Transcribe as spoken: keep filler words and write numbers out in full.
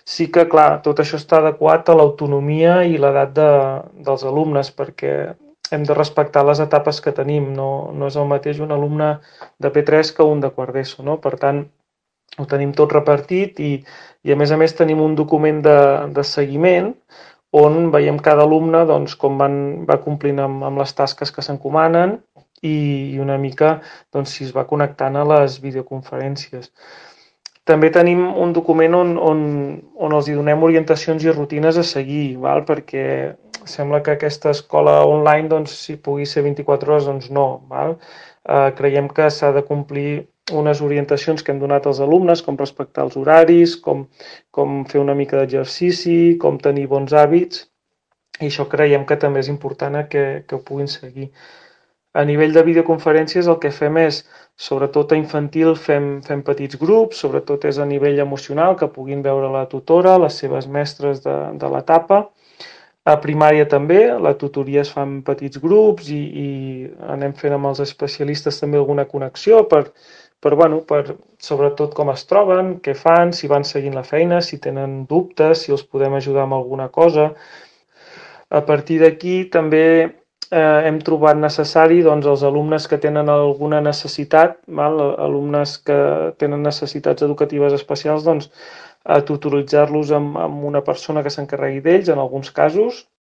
Sí que, clar, tot això està adequat a l'autonomia i l'edat de, dels alumnes, perquè hem de respectar les etapes que tenim. No, no és el mateix un alumne de P tres que un de quart d'ESO, no? Per tant, ho tenim tot repartit i, i a més a més tenim un document de, de seguiment on veiem cada alumne doncs, com van, va complint amb, amb les tasques que s'encomanen i, i una mica doncs, si es va connectant a les videoconferències. També tenim un document on, on, on els hi donem orientacions i rutines a seguir, val? Perquè sembla que aquesta escola online, doncs, si pugui ser vint-i-quatre hores, doncs no. Val? Eh, creiem que s'ha de complir unes orientacions que hem donat als alumnes, com respectar els horaris, com, com fer una mica d'exercici, com tenir bons hàbits, i això creiem que també és important que, que ho puguin seguir. A nivell de videoconferències el que fem és, sobretot a infantil, fem, fem petits grups, sobretot és a nivell emocional, que puguin veure la tutora, les seves mestres de, de l'etapa. A primària també, la tutoria es fa en petits grups i, i anem fent amb els especialistes també alguna connexió per, per, bueno, per sobretot com es troben, què fan, si van seguint la feina, si tenen dubtes, si els podem ajudar amb alguna cosa. A partir d'aquí també eh, hem trobat necessari doncs, els alumnes que tenen alguna necessitat, val? Alumnes que tenen necessitats educatives especials, doncs, a tutoritzar-los amb, amb una persona que s'encarregui d'ells en alguns casos